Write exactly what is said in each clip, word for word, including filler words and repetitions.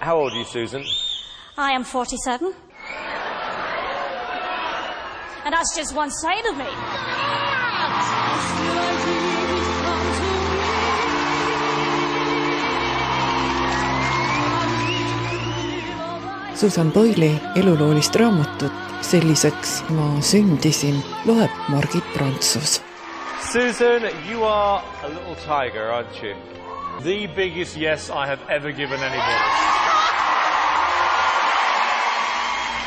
How old are you, Susan? I am forty-seven. And that's just one side of me. Susan Boyle'i eluloolist raamatut Selliseks ma sündisin loeb Margit Prantsus. Susan, you are a little tiger, aren't you? The biggest yes I have ever given anybody.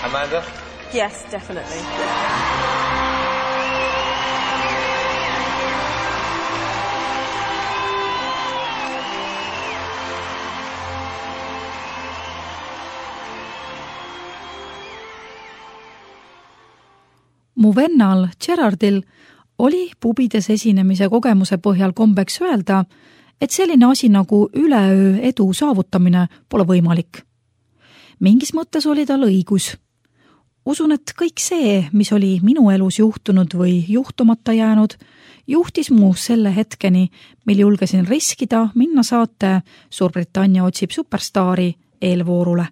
Amanda? Yes, definitely. Mu vennal Gerardil oli pubides esinemise kogemuse põhjal kombeks öelda, et selline asi nagu üleöö edu saavutamine pole võimalik. Mingis mõttes oli tal õigus. Usun, et kõik see, mis oli minu elus juhtunud või juhtumata jäänud, juhtis mu selle hetkeni, mil julgesin riskida minna saate Suurbritannia otsib superstaari eelvoorule.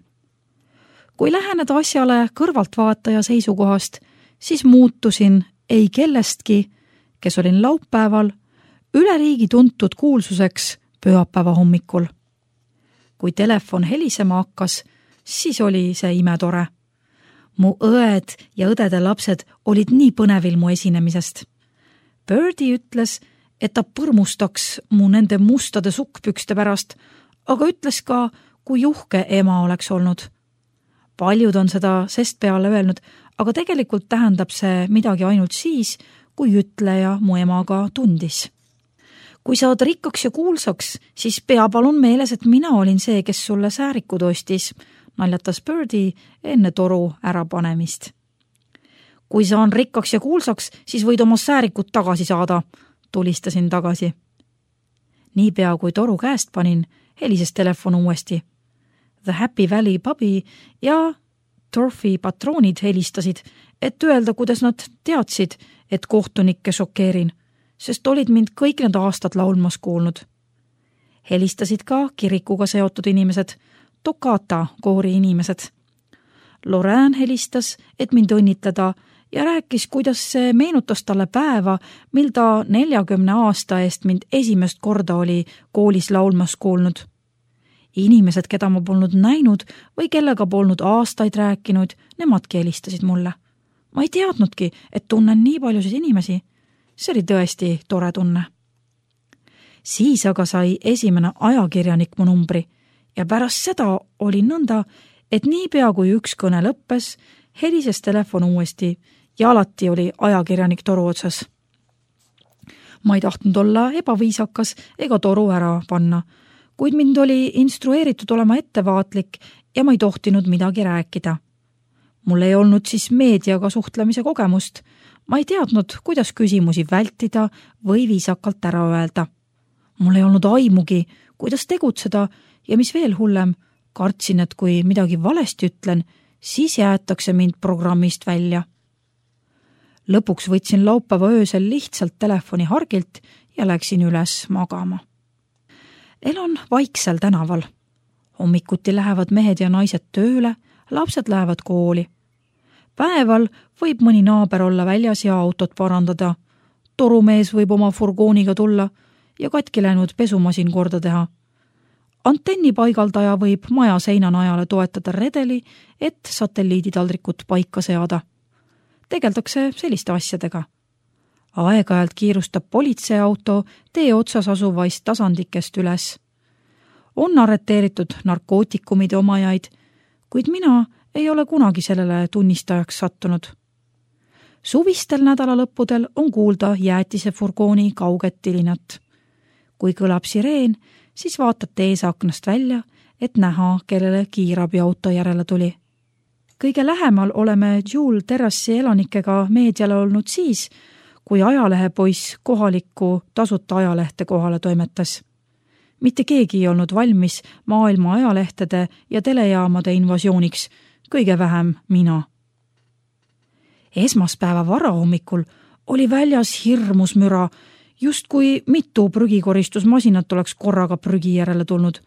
Kui läheneda asjale kõrvaltvaataja seisukohast, siis muutusin ei kellestki, kes olin laupäeval, üle riigi tuntud kuulsuseks pühapäeva hommikul. Kui telefon helisema hakkas, siis oli see imetore. Mu õed ja õdede lapsed olid nii põnevil mu esinemisest. Birdie ütles, et ta põrmustaks mu nende mustade sukkpükste pärast, aga ütles ka, kui juhke ema oleks olnud. Paljud on seda sest peale öelnud, aga tegelikult tähendab see midagi ainult siis, kui ütleja mu emaga tundis. Kui saad rikkaks ja kuulsaks, siis pea palun meeles, et mina olin see, kes sulle säärikud ostis, naljatas Birdie enne toru ärapanemist. Kui saan rikkaks ja kuulsaks, siis võid oma säärikut tagasi saada, tulistasin tagasi. Niipea kui toru käest panin, helises telefon uuesti. The Happy Valley pubi ja Torfi patroonid helistasid, et öelda, kuidas nad teadsid, et kohtunikke šokeerin, sest olid mind kõik need aastad laulmas kuulnud. Helistasid ka kirikuga seotud inimesed, Tokata koori inimesed. Lorraine helistas, et mind õnnitleda ja rääkis, kuidas see meenutas talle päeva, mil ta neljakümne aasta eest mind esimest korda oli koolis laulmas kuulnud. Inimesed, keda ma polnud näinud või kellega polnud aastaid rääkinud, nemadki helistasid mulle. Ma ei teadnudki, et tunnen nii paljusid inimesi. See oli tõesti tore tunne. Siis aga sai esimene ajakirjanik mu numbri ja pärast seda oli nõnda, et niipea kui üks kõne lõppes, helises telefon uuesti ja alati oli ajakirjanik toru otsas. Ma ei tahtnud olla ebaviisakas ega toru ära panna, kuid mind oli instrueeritud olema ettevaatlik ja ma ei tohtinud midagi rääkida. Mul ei olnud siis meediaga suhtlemise kogemust. Ma ei teadnud, kuidas küsimusi vältida või viisakalt ära öelda. Mul ei olnud aimugi, kuidas tegutseda ja mis veel hullem, kartsin, et kui midagi valesti ütlen, siis jäetakse mind programmist välja. Lõpuks võtsin laupäeva öösel lihtsalt telefoni hargilt ja läksin üles magama. Elan vaiksel tänaval. Hommikuti lähevad mehed ja naised tööle, lapsed lähevad kooli. Päeval võib mõni naaber olla väljas ja autot parandada. Torumees võib oma furgooniga tulla ja katki läinud pesumasin korda teha. Antenni paigaldaja võib maja seinanajale toetada redeli, et satelliiditaldrikut paika seada. Tegeldakse selliste asjadega. Aeg-ajalt kiirustab politseiauto tee otsas asuvaist tasandikest üles. On arreteeritud narkootikumide omajaid, kuid mina ei ole kunagi sellele tunnistajaks sattunud. Suvistel nädalalõppudel on kuulda jäätise furgooni kauget tilinat. Kui kõlab sireen, siis vaatad teesaknast välja, et näha, kellele kiirabiauto järele tuli. Kõige lähemal oleme Jewel terrassi elanikega meediale olnud siis, kui ajalehepoiss kohalikku tasuta ajalehte kohale toimetas. Mitte keegi ei olnud valmis maailma ajalehtede ja telejaamade invasiooniks, kõige vähem mina. Esmaspäeva varahommikul oli väljas hirmus müra, just kui mitu prügikoristusmasinat oleks korraga prügi järele tulnud.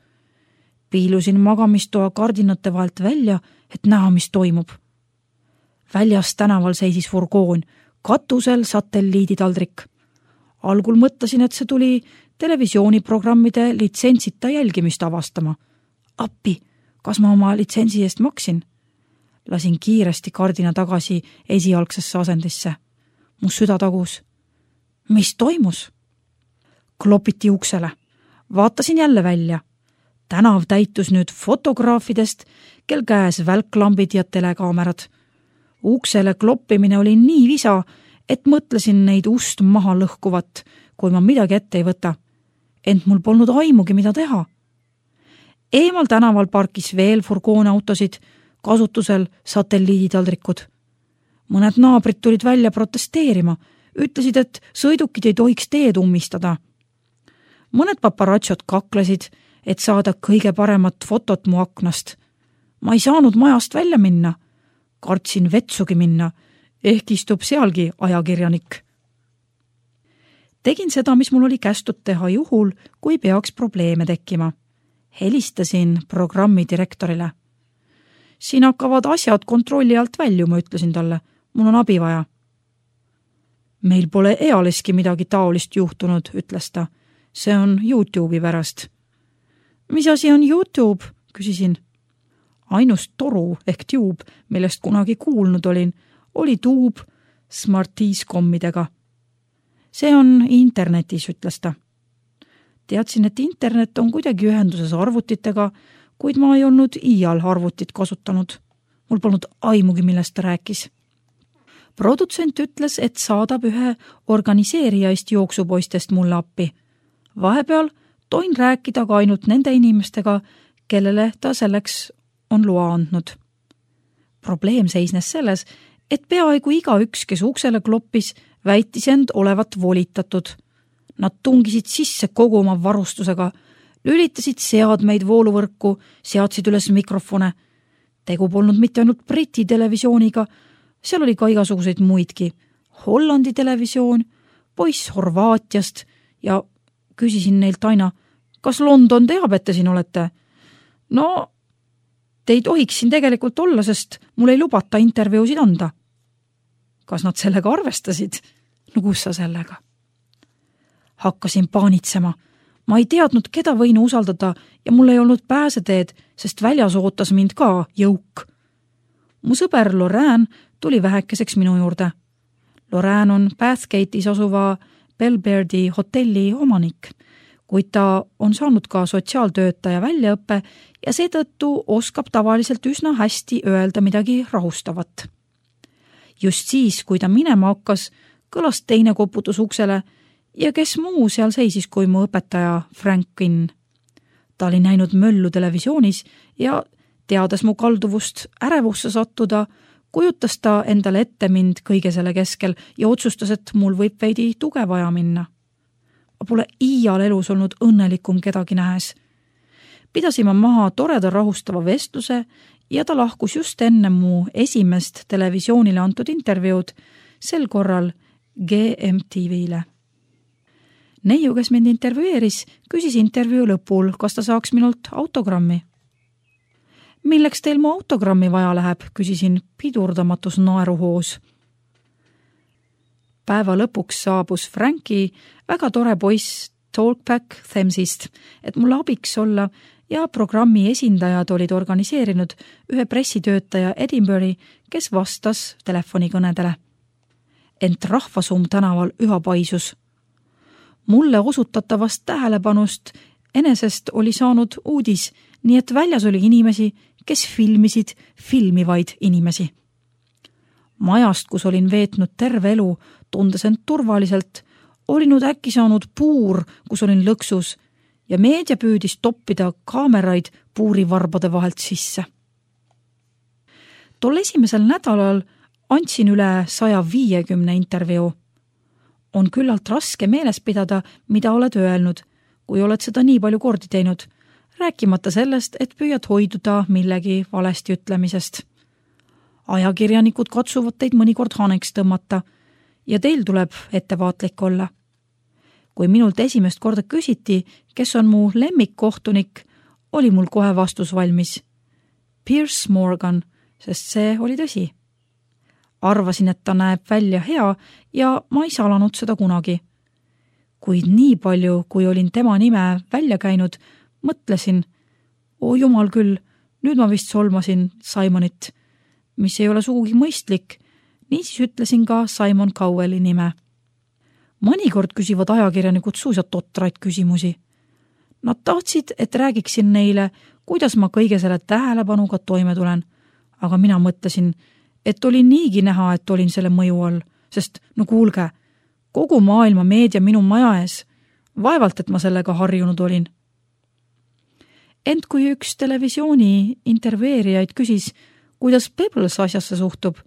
Piilusin magamistoa kardinate vahelt välja, et näha, mis toimub. Väljas tänaval seisis furgoon, katusel satelliiditaldrik. Algul mõtlesin, et see tuli televisiooniprogrammide litsentsita jälgimist avastama. Appi, kas ma oma litsentsi eest maksin? Lasin kiiresti kardina tagasi esialgsesse asendisse. Mu süda tagus. Mis toimus? Klopiti uksele. Vaatasin jälle välja. Tänav täitus nüüd fotograafidest, kel käes välklambid ja telekaamerad. Uksele kloppimine oli nii visa, et mõtlesin neid ust maha lõhkuvat, kui ma midagi ette ei võta. Ent mul polnud aimugi, mida teha. Eemal tänaval parkis veel furgoonautosid, kasutusel satelliiditaldrikud. Mõned naabrid tulid välja protesteerima, ütlesid, et sõidukid ei tohiks teed ummistada. Mõned paparatsod kaklesid, et saada kõige paremat fotot mu aknast. Ma ei saanud majast välja minna. Kartsin vetsugi minna, ehk istub sealgi ajakirjanik. Tegin seda, mis mul oli kästud teha juhul, kui peaks probleeme tekkima. Helistasin programmi direktorile. Siin hakkavad asjad kontrolli alt väljuma, ütlesin talle. Mul on abi vaja. Meil pole ealeski midagi taolist juhtunud, ütles ta. See on YouTube'i pärast. Mis asi on YouTube? Küsisin. Ainus toru ehk tube, millest kunagi kuulnud olin, oli tuub Smarties-kommidega. See on internetis, ütles ta. Teadsin, et internet on kuidagi ühenduses arvutitega, kuid ma ei olnud iial arvutit kasutanud. Mul polnud aimugi, millest ta rääkis. Produtsent ütles, et saadab ühe organiseerijaist jooksupoistest mulle appi. Vahepeal toin rääkida ka ainult nende inimestega, kellele ta selleks on loa andnud. Probleem seisnes selles, et peaaegu igaüks, kes uksele kloppis, väitis end olevat volitatud. Nad tungisid sisse kogu oma varustusega, lülitasid seadmeid vooluvõrku, seadsid üles mikrofone. Tegu polnud mitte ainult Briti televisiooniga, seal oli ka igasuguseid muidki. Hollandi televisioon, poiss Horvaatiast ja küsisin neilt aina, kas London teab, et te siin olete? No, te ei tohiks siin tegelikult olla, sest mul ei lubata intervjuusid anda. Kas nad sellega arvestasid? No kus sa sellega? Hakkasin paanitsema. Ma ei teadnud, keda võin usaldada ja mul ei olnud pääseteed, sest väljas ootas mind ka jõuk. Mu sõber Lorraine tuli vähekeseks minu juurde. Lorraine on Bathgate'is asuva Belbeardi hotelli omanik, kuid ta on saanud ka sotsiaaltöötaja väljaõppe ja seetõttu oskab tavaliselt üsna hästi öelda midagi rahustavat. Just siis, kui ta minema hakkas, kõlas teine koputus uksele ja kes muu seal seisis kui mu õpetaja Frank Quinn. Ta oli näinud möllu televisioonis ja teades mu kalduvust ärevusse sattuda, kujutas ta endale ette mind kõige selle keskel ja otsustas, et mul võib veidi tuge vaja minna. Ma pole iial elus olnud õnnelikum kedagi nähes. Pidasime maha toreda rahustava vestluse ja ta lahkus just enne mu esimest televisioonile antud intervjuud, sel korral G M T V-le. Neiu, kes mind intervjueeris, küsis intervjuu lõpul, kas ta saaks minult autogrammi. Milleks teil mu autogrammi vaja läheb, küsisin pidurdamatus naeruhoos. Päeva lõpuks saabus Franki väga tore poiss Talkback Thamesist, et mulle abiks olla ja programmi esindajad olid organiseerinud ühe pressitöötaja Edinburghi, kes vastas telefonikõnedele. Ent rahvasumm tänaval üha paisus. Mulle osutatavast tähelepanust enesest oli saanud uudis, nii et väljas oli inimesi, kes filmisid filmivaid inimesi. Majast, kus olin veetnud terve elu, tundes end turvaliselt, oli nüüd äkki saanud puur, kus olin lõksus ja meedia püüdis toppida kaameraid puurivarbade vahelt sisse. Tol esimesel nädalal andsin üle saja viiekümne intervjuu. On küllalt raske meeles pidada, mida oled öelnud, kui oled seda nii palju kordi teinud, rääkimata sellest, et püüad hoiduda millegi valesti ütlemisest. Ajakirjanikud katsuvad teid mõnikord haneks tõmmata ja teil tuleb ettevaatlik olla. Kui minult esimest korda küsiti, kes on mu lemmikkohtunik, oli mul kohe vastus valmis. Piers Morgan, sest see oli tõsi. Arvasin, et ta näeb välja hea ja ma ei salanud seda kunagi. Kuid nii palju, kui olin tema nime välja käinud, mõtlesin, oo jumal küll, nüüd ma vist solmasin Simonit, mis ei ole sugugi mõistlik, niisiis ütlesin ka Simon Cowelli nime. Mõnikord küsivad ajakirjanikud suisa totraid küsimusi. Nad tahtsid, et räägiksin neile, kuidas ma kõige selle tähelepanuga toime tulen, aga mina mõtlesin, et oli niigi näha, et olin selle mõju all, sest no kuulge, kogu maailma meedia minu maja ees, vaevalt, et ma sellega harjunud olin. Ent kui üks televisiooni intervjueerijaid küsis, kuidas Pebbles asjasse suhtub,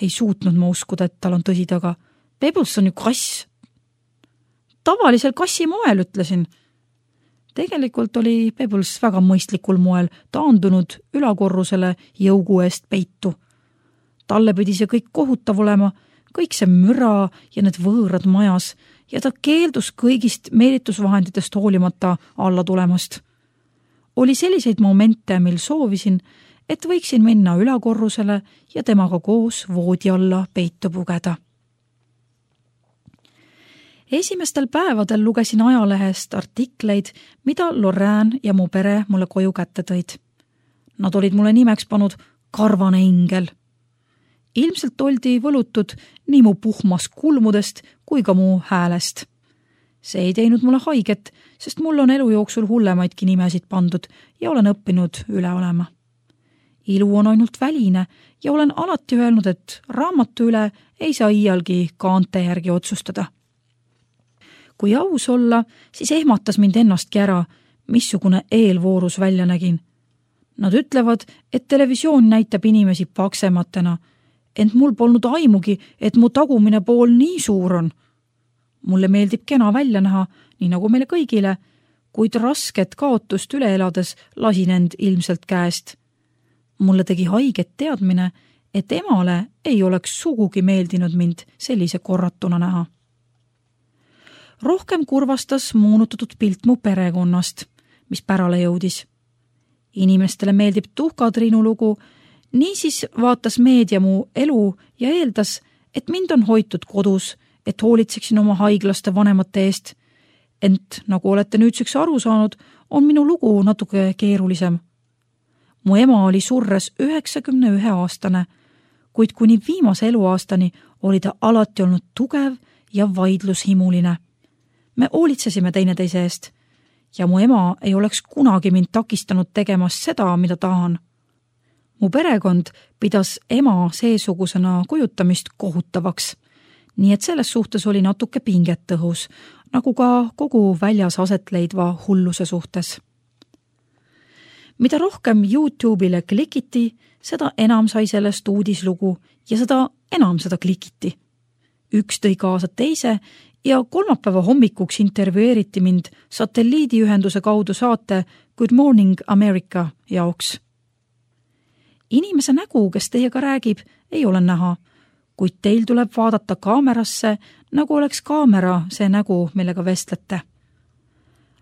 ei suutnud ma uskuda, et tal on tõsi taga. Pebbles on ju kass. Tavalisel kassi moel, ütlesin. Tegelikult oli Pebbles väga mõistlikul moel taandunud ülakorrusele jõugu eest peitu. Talle pidi see kõik kohutav olema, kõik see müra ja need võõrad majas ja ta keeldus kõigist meelitusvahenditest hoolimata alla tulemast. Oli selliseid momente, mil soovisin, et võiksin minna ülakorrusele ja temaga koos voodi alla peitu pugeda. Esimestel päevadel lugesin ajalehest artikleid, mida Lorraine ja mu pere mulle koju kätte tõid. Nad olid mulle nimeks pannud karvane ingel. Ilmselt oldi võlutud nii mu puhmas kulmudest kui ka mu häälest. See ei teinud mulle haiget, sest mul on elu jooksul hullemaidki nimesid pandud ja olen õppinud üle olema. Ilu on ainult väline ja olen alati öelnud, et raamatu üle ei saa iialgi kaante järgi otsustada. Kui aus olla, siis ehmatas mind ennastki ära, missugune eelvoorus välja nägin. Nad ütlevad, et televisioon näitab inimesi paksematena, ent mul polnud aimugi, et mu tagumine pool nii suur on. Mulle meeldib kena välja näha, nii nagu meile kõigile, kuid rasket kaotust üle elades lasin end ilmselt käest. Mulle tegi haiget teadmine, et emale ei oleks sugugi meeldinud mind sellise korratuna näha. Rohkem kurvastas moonutatud pilt mu perekonnast, mis pärale jõudis. Inimestele meeldib tuhkatriinu lugu, niisiis vaatas meedia mu elu ja eeldas, et mind on hoitud kodus, et hoolitseksin oma haiglaste vanemate eest. Ent nagu olete nüüdseks aru saanud, on minu lugu natuke keerulisem. Mu ema oli surres üheksakümne ühe aastane, kuid kuni viimase eluaastani oli ta alati olnud tugev ja vaidlushimuline. Me hoolitsesime teineteise eest ja mu ema ei oleks kunagi mind takistanud tegemast seda, mida tahan. Mu perekond pidas ema seesugusena kujutamist kohutavaks, nii et selles suhtes oli natuke pinget õhus, nagu ka kogu väljas aset leidva hulluse suhtes. Mida rohkem YouTube'ile klikiti, seda enam sai sellest uudislugu ja seda enam seda klikiti. Üks tõi kaasa teise ja kolmapäeva hommikuks intervjueeriti mind satelliidiühenduse kaudu saate Good Morning America jaoks. Inimese nägu, kes teiega räägib, ei ole näha, kuid teil tuleb vaadata kaamerasse, nagu oleks kaamera see nägu, millega vestlete.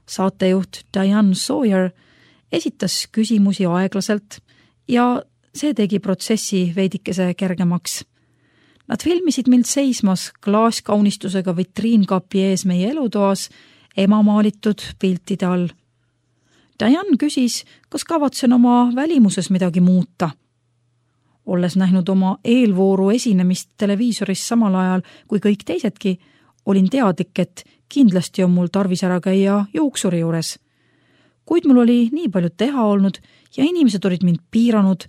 Saatejuht Diane Sawyer esitas küsimusi aeglaselt ja see tegi protsessi veidikese kergemaks. Nad filmisid mind seismas klaaskaunistusega vitriinkapi ees meie elutoas ema maalitud piltide all. Diane küsis, kas kavatsen oma välimuses midagi muuta. Olles näinud oma eelvooru esinemist televiisoris samal ajal kui kõik teisedki, olin teadlik, et kindlasti on mul tarvis ära käia jooksuri juures. Kuid mul oli nii palju teha olnud ja inimesed olid mind piiranud,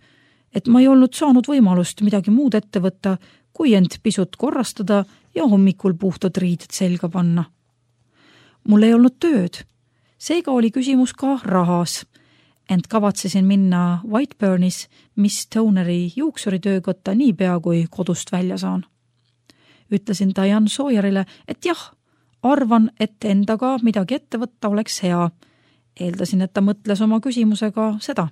et ma ei olnud saanud võimalust midagi muud ette võtta, kui end pisut korrastada ja hommikul puhtad riided selga panna. Mul ei olnud tööd, seega oli küsimus ka rahas, ent kavatsesin minna Whiteburnis Miss Toneri juuksuritöökotta niipea, kui kodust välja saan. Ütlesin Diane Sawyerile, et jah, arvan, et endaga midagi ette võtta oleks hea. Eeldasin, et ta mõtles oma küsimusega seda.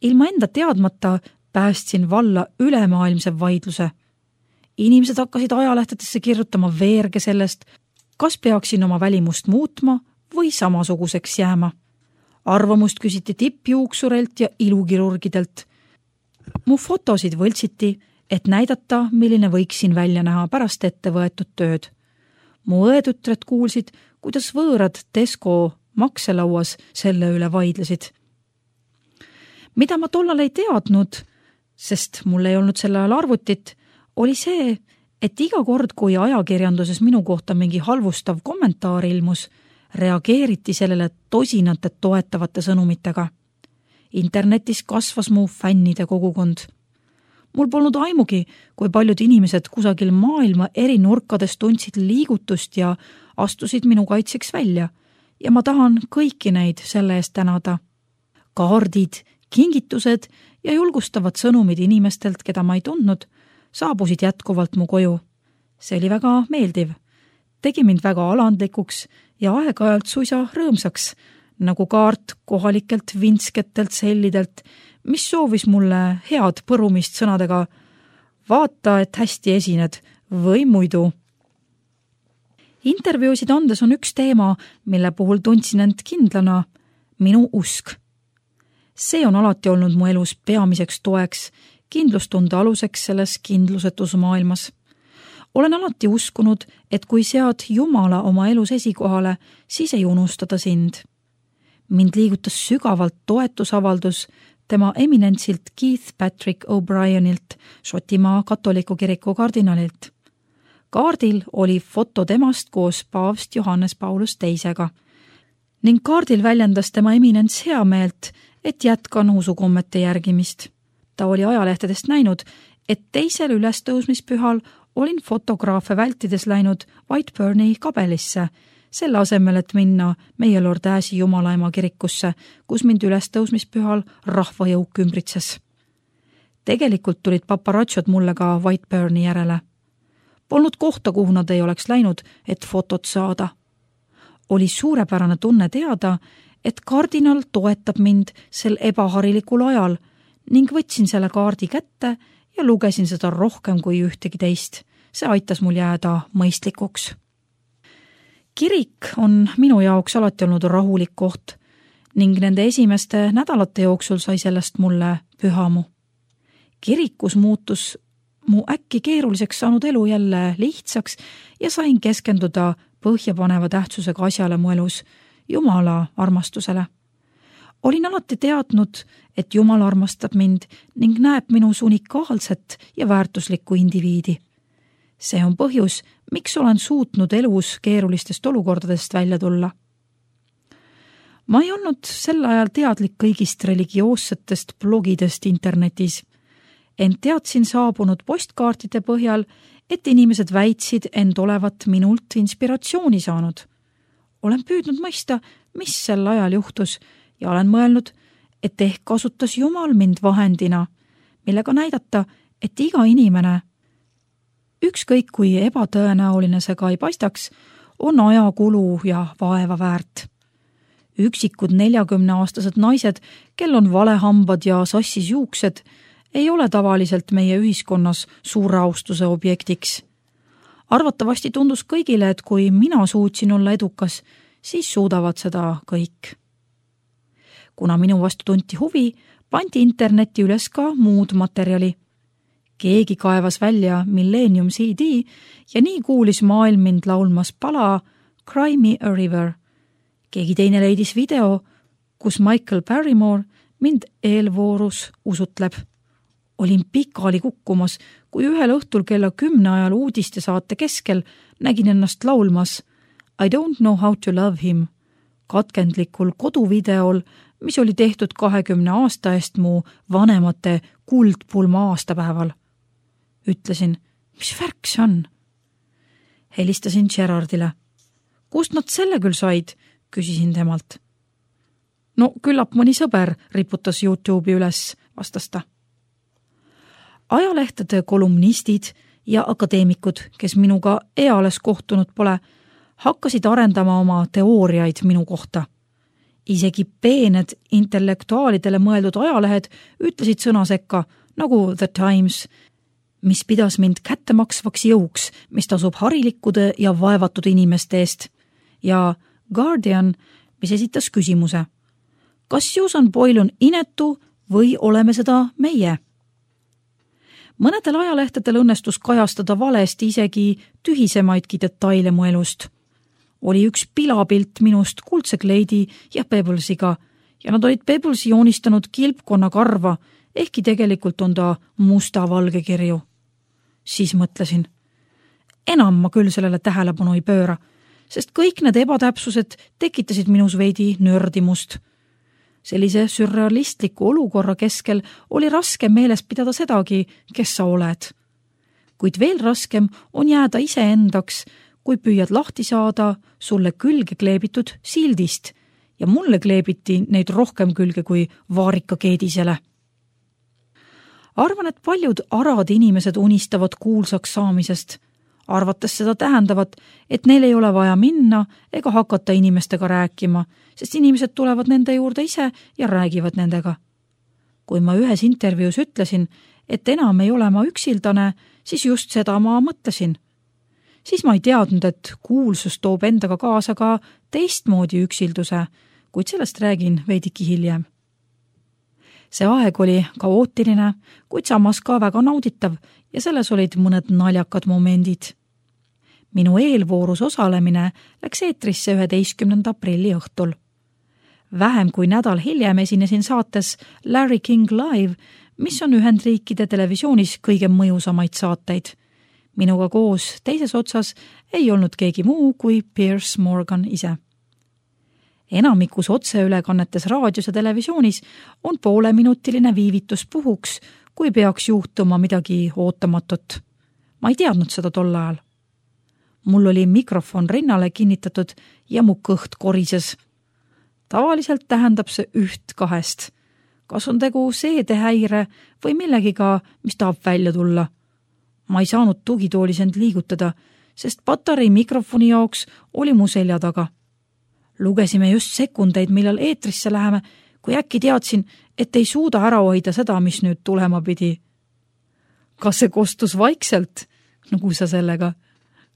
Ilma enda teadmata päästsin valla ülemaailmse vaidluse. Inimesed hakkasid ajalehtedesse kirjutama veerge sellest, kas peaksin oma välimust muutma või samasuguseks jääma. arvamust küsiti tippjuuksurelt ja ilukirurgidelt. Mu fotosid võltsiti, et näidata, milline võiksin välja näha pärast ette võetud tööd. Mu õetütred kuulsid, kuidas võõrad Tesco makselauas selle üle vaidlesid. Mida ma tollal ei teadnud, sest mul ei olnud selle ajal arvutit, oli see, et iga kord, kui ajakirjanduses minu kohta mingi halvustav kommentaar ilmus, reageeriti sellele tosinate toetavate sõnumitega. Internetis kasvas mu fännide kogukond. Mul polnud aimugi, kui paljud inimesed kusagil maailma eri nurkades tundsid liigutust ja astusid minu kaitseks välja ja ma tahan kõiki neid selle eest tänada. Kaardid, kingitused ja julgustavad sõnumid inimestelt, keda ma ei tundnud, saabusid jätkuvalt mu koju. See oli väga meeldiv. Tegi mind väga alandlikuks ja aeg-ajalt suisa rõõmsaks, nagu kaart kohalikelt vinsketelt sellidelt, mis soovis mulle head põrumist sõnadega vaata, et hästi esined või muidu. Intervjuusid andes on üks teema, mille puhul tundsin end kindlana, minu usk. See on alati olnud mu elus peamiseks toeks, kindlustunde aluseks selles kindlusetus maailmas. Olen alati uskunud, et kui sead Jumala oma elus esikohale, siis ei unustada sind. Mind liigutas sügavalt toetusavaldus tema eminentsilt Keith Patrick O'Brienilt, Šotimaa katoliku kiriku kardinalilt. Kaardil oli foto temast koos paavst Johannes Paulus teisega ning kaardil väljendas tema eminents heameelt, et jätkan usukommete järgimist. Ta oli ajalehtedest näinud, et teisel ülestõusmispühal olin fotograafe vältides läinud Whiteburni kabelisse, selle asemel, et minna meie Lord Äsi Jumalaema kirikusse, kus mind ülestõusmispühal rahvajõuk ümbritses. Tegelikult tulid paparatšod mulle ka Whiteburni järele. Polnud kohta, kuhu nad ei oleks läinud, et fotot saada. Oli suurepärane tunne teada, et kardinal toetab mind sel ebaharilikul ajal ning võtsin selle kaardi kätte ja lugesin seda rohkem kui ühtegi teist. See aitas mul jääda mõistlikuks. Kirik on minu jaoks alati olnud rahulik koht ning nende esimeste nädalate jooksul sai sellest mulle pühamu. Kirikus muutus mu äkki keeruliseks saanud elu jälle lihtsaks ja sain keskenduda põhjapaneva tähtsusega asjale mu elus, Jumala armastusele. Olin alati teadnud, et Jumal armastab mind ning näeb minus unikaalset ja väärtuslikku indiviidi. See on põhjus, miks olen suutnud elus keerulistest olukordadest välja tulla. Ma ei olnud sel ajal teadlik kõigist religioossetest blogidest internetis, ent teadsin saabunud postkaartide põhjal, et inimesed väitsid end olevat minult inspiratsiooni saanud. Olen püüdnud mõista, mis sel ajal juhtus ja olen mõelnud, et ehk kasutas Jumal mind vahendina, millega näidata, et iga inimene, ükskõik kui ebatõenäoline see ka ei paistaks, on ajakulu ja vaeva väärt. Üksikud neljakümneaastased naised, kel on valehambad ja sassis juuksed, ei ole tavaliselt meie ühiskonnas suure austuse objektiks. Arvatavasti tundus kõigile, et kui mina suutsin olla edukas, siis suudavad seda kõik. Kuna minu vastu tunti huvi, pandi internetti üles ka muud materjali. Keegi kaevas välja Millennium C D ja nii kuulis maailm mind laulmas pala Cry Me a River. Keegi teine leidis video, kus Michael Barrymore mind eelvoorus usutleb. Olin pikali kukkumas, kui ühel õhtul kella kümne ajal uudiste saate keskel nägin ennast laulmas I don't know how to love him katkendlikul koduvideol, mis oli tehtud kahekümne aasta eest mu vanemate kuldpulma aastapäeval. Ütlesin, mis värk see on? Helistasin Gerardile. Kust nad selle küll said? Küsisin temalt. No küllap mõni sõber riputas YouTube'i üles, vastas ta. Ajalehtede kolumnistid ja akadeemikud, kes minuga eales kohtunud pole, hakkasid arendama oma teooriaid minu kohta. Isegi peened intellektuaalidele mõeldud ajalehed ütlesid sõna sekka, nagu The Times, mis pidas mind kättemaksvaks jõuks, mis tasub harilikkude ja vaevatud inimeste eest, ja Guardian, mis esitas küsimuse. kas Susan Boyle on inetu või oleme seda meie? Mõnedel ajalehtedel õnnestus kajastada valesti isegi tühisemaidki detaile mu elust. Oli üks pilapilt minust kuldse kleidi ja Pebblesiga ja nad olid Pebblesi joonistanud kilpkonna karva, ehkki tegelikult on ta musta-valge kirju. Siis mõtlesin, enam ma küll sellele tähelepanu ei pööra, sest kõik need ebatäpsused tekitasid minus veidi nördimust. Sellise sürrealistliku olukorra keskel oli raske meeles pidada sedagi, kes sa oled. Kuid veel raskem on jääda iseendaks, kui püüad lahti saada sulle külge kleebitud sildist ja mulle kleebiti neid rohkem külge kui vaarika keedisele. Arvan, et paljud arad inimesed unistavad kuulsaks saamisest, arvates seda tähendavat, et neil ei ole vaja minna ega hakata inimestega rääkima, sest inimesed tulevad nende juurde ise ja räägivad nendega. Kui ma ühes intervjuus ütlesin, et enam ei ole ma üksildane, siis just seda ma mõtlesin. Siis ma ei teadnud, et kuulsus toob endaga kaasa ka teistmoodi üksilduse, kuid sellest räägin veidiki hiljem. See aeg oli kaootiline, kuid samas ka väga nauditav ja selles olid mõned naljakad momendid. Minu eelvoorus osalemine läks eetrisse üheteistkümnenda aprilli õhtul. Vähem kui nädal hiljem esinesin saates Larry King Live, mis on Ühendriikide televisioonis kõige mõjusamaid saateid. Minuga koos teises otsas ei olnud keegi muu kui Piers Morgan ise. Enamikus otseülekannetes raadios ja televisioonis on pooleminutiline viivitus puhuks, kui peaks juhtuma midagi ootamatut. Ma ei teadnud seda tol ajal. Mul oli mikrofon rinnale kinnitatud ja mu kõht korises. Tavaliselt tähendab see üht kahest. Kas on tegu seedehäire või millegiga, mis tahab välja tulla? Ma ei saanud tugitoolis end liigutada, sest patarei mikrofoni jaoks oli mu selja taga. Lugesime just sekundeid, millal eetrisse läheme, kui äkki teadsin, et ei suuda ära hoida seda, mis nüüd tulema pidi. Kas see kostus vaikselt, nagu sa sellega,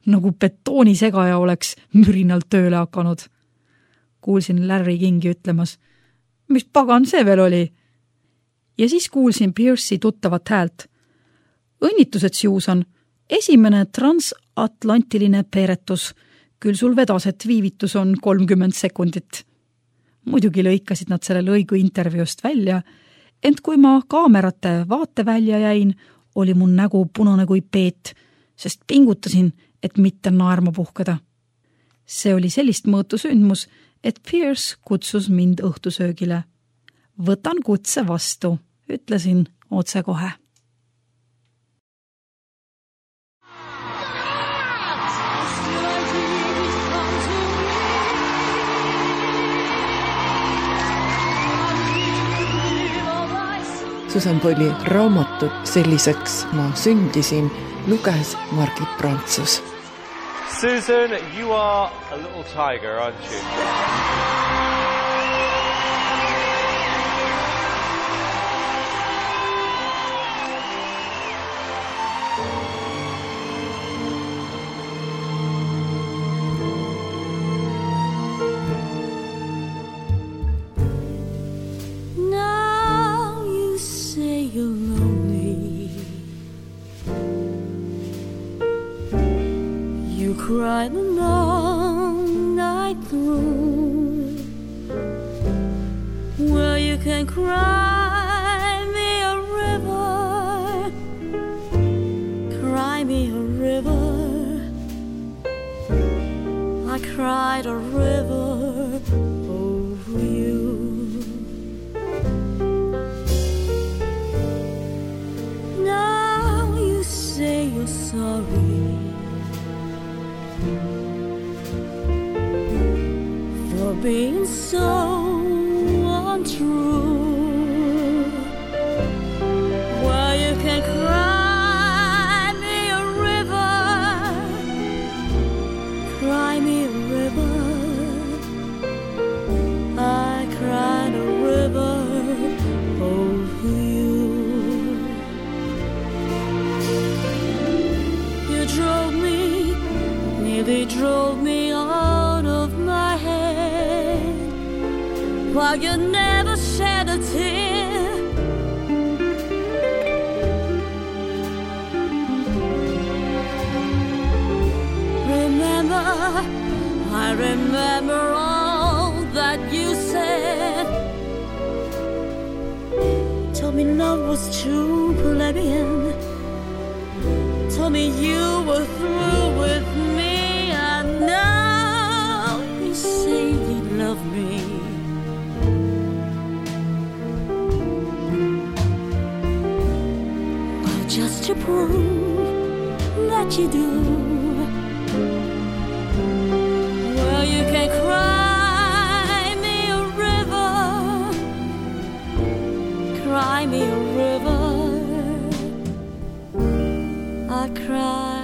nagu betoonisegaja oleks mürinalt tööle hakanud? Kuulsin Larry Kingi ütlemas, mis pagan see veel oli? Ja siis kuulsin Pierce'i tuttavat häält. Õnnitused, Susan, esimene transatlantiline peeretus. Küll sul vedas, et viivitus on kolmkümmend sekundit. Muidugi lõikasid nad selle lõigu intervjuust välja, ent kui ma kaamerate vaate välja jäin, oli mun nägu punane kui peet, sest pingutasin, et mitte naerma puhkeda. See oli sellist mõõtu sündmus, et Pierce kutsus mind õhtusöögile. Võtan kutse vastu, ütlesin otse kohe. Susan Boyle'i raamatut Selliseks ma sündisin luges Margit Prantsus. Susan, you are a little tiger, aren't you? Cry the long night through. Well, you can cry me a river, cry me a river. I cried a river over you. Now you say you're sorry for being so untrue. Well, you can cry me a river, cry me a river. I cried a river over you. You drove me, nearly drove me out of my head, while you never remember all that you said. Told me love was true, plebeian. Told me you were through with me, and now you say you love me. Well, just to prove that you do, well, you can cry me a river, cry me a river. I cry